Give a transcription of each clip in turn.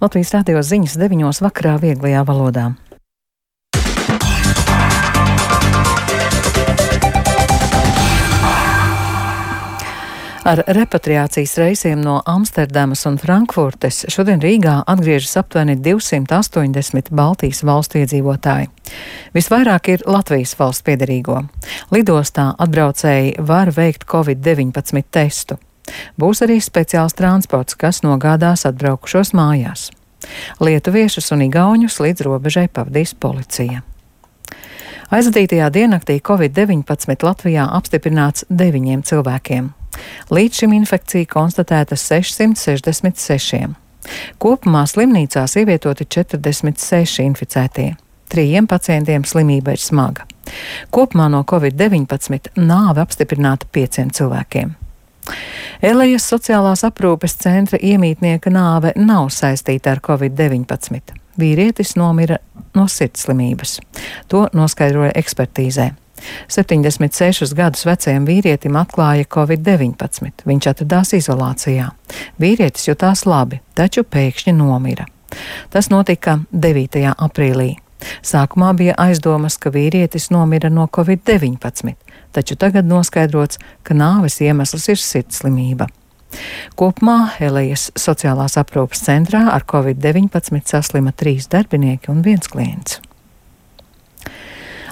Latvijas radio ziņas 9 vakarā vieglajā valodā. Ar repatriācijas reisiem no Amsterdamas un Frankfurtes šodien Rīgā atgriežas aptuveni 280 Baltijas valstu iedzīvotāji. Visvairāk ir Latvijas valsts piederīgo. Lidostā atbraucēji var veikt Covid-19 testu. Būs arī speciāls transports, kas nogādās atbraukušos mājās. Lietuviešus un igauņus līdz robežai pavadīs policija. Aizvadītajā diennaktī Covid-19 Latvijā apstiprināts 9 cilvēkiem. Līdz šim infekcija konstatēta 666. Kopumā slimnīcās ievietoti 46 inficētie. 3 pacientiem slimība ir smaga. Kopumā no Covid-19 nāve apstiprināta 5 cilvēkiem. Elejas sociālās aprūpes centra iemītnieka nāve nav saistīta ar Covid-19. Vīrietis nomira no sirdslimības. To noskaidroja ekspertīzē. 76 gadus vecajam vīrietim atklāja Covid-19. Viņš atradās izolācijā. Vīrietis jutās labi, taču pēkšņi nomira. Tas notika 9. aprīlī. Sākumā bija aizdomas, ka vīrietis nomira no Covid-19, taču tagad noskaidrots, ka nāves iemesls ir sirdslimība. Kopumā Elejas sociālās aprūpes centrā ar Covid-19 saslima 3 darbinieki un 1 klients.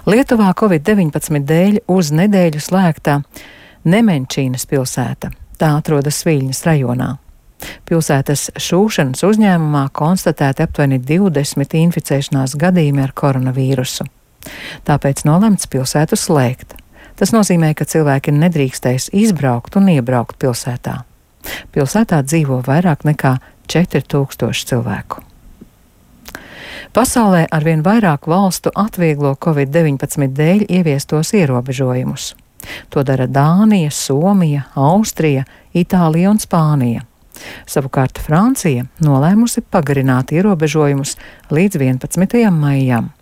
Lietuvā Covid-19 dēļ uz nedēļu slēgta Nemenčīnas pilsēta. Tā atrodas Viļņas rajonā. Pilsētas šūšanas uzņēmumā konstatēti aptuveni 20 inficēšanās gadījumi ar koronavīrusu. Tāpēc nolemts pilsētu slēgt. Tas nozīmē, ka cilvēki nedrīkstēs izbraukt un iebraukt pilsētā. Pilsētā dzīvo vairāk nekā 4000 cilvēku. Pasaulē arvien vairāk valstu atvieglo Covid-19 dēļ ieviestos ierobežojumus. To dara Dānija, Somija, Austrija, Itālija un Spānija. Savukārt Francija nolēmusi pagarināt ierobežojumus līdz 11. maijam.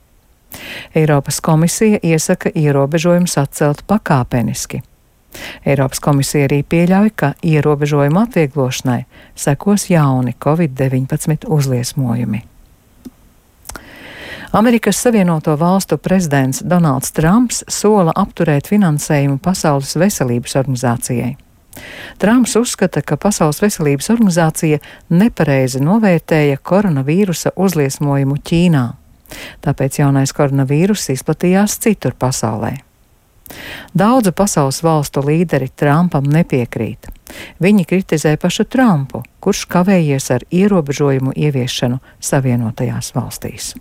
Eiropas komisija iesaka ierobežojumus atcelt pakāpeniski. Eiropas komisija arī pieļauj, ka ierobežojumu atvieglošanai sekos jauni Covid-19 uzliesmojumi. Amerikas Savienoto Valstu prezidents Donalds Trumps sola apturēt finansējumu Pasaules veselības organizācijai. Trumps uzskata, ka Pasaules veselības organizācija nepareizi novērtēja koronavīrusa uzliesmojumu Ķīnā. Tāpēc jaunais koronavīruss izplatījās citur pasaulē. Daudzu pasaules valstu līderi Trumpam nepiekrīt. Viņi kritizē pašu Trumpu, kurš kavējies ar ierobežojumu ieviešanu Savienotajās valstīs.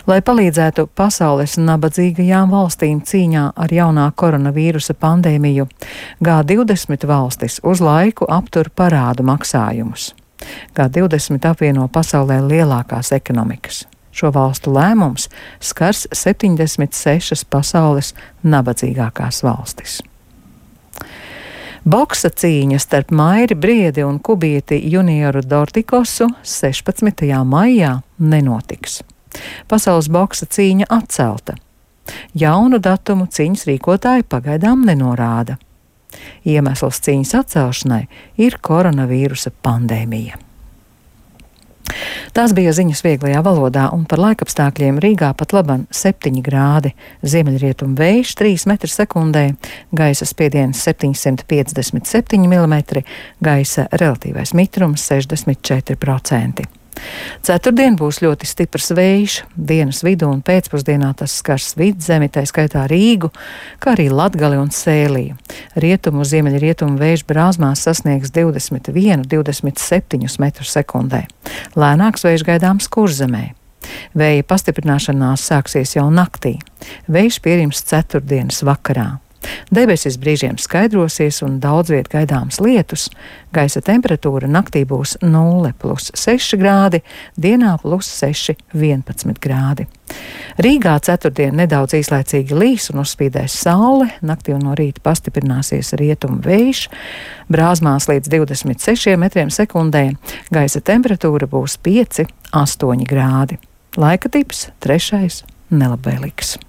Lai palīdzētu pasaules nabadzīgajām valstīm cīņā ar jaunā koronavīrusa pandēmiju, G20 valstis uz laiku aptur parādu maksājumus. G20 apvieno pasaulē lielākās ekonomikas. Šo valstu lēmums skars 76 pasaules nabadzīgākās valstis. Boksa cīņa starp Mairi Briedi un kubieti junioru Dortikosu 16. maijā nenotiks. Pasaules boksa cīņa atcelta. Jaunu datumu cīņas rīkotāji pagaidām nenorāda. Iemesls cīņas atcelšanai ir koronavīrusa pandēmija. Tās bija ziņas vieglajā valodā, un par laikapstākļiem Rīgā pat laban 7 grādi, ziemeļrietumu vējš 3 m/sekundē, gaisa spiediens 757 mm, gaisa relatīvais mitrums 64%. Ceturtdien būs ļoti stiprs vējš, dienas vidū un pēcpusdienā tas skars Vidzemi, tā skaitā Rīgu, kā arī Latgali un Sēliju. Rietumu ziemeļrietumu vējš Brāzmās sasniegs 21–27 m/sekundē. Lēnāks vējš gaidāms Kurzemē. Vēja pastiprināšanās sāksies jau naktī. Vējš pierims ceturtdienas vakarā. Debesis brīžiem skaidrosies un daudz viet gaidāms lietus. Gaisa temperatūra naktī būs 0+6 grādi, dienā +6, 11 grādi. Rīgā ceturtdien nedaudz īslaicīgi līs un uzspīdēs saule, naktī un no rīta pastiprināsies rietumu vējš, Brāzmās līdz 26 m/sekundē, gaisa temperatūra būs 5–8 grādi. Laika tips 3. nelabvēlīgs.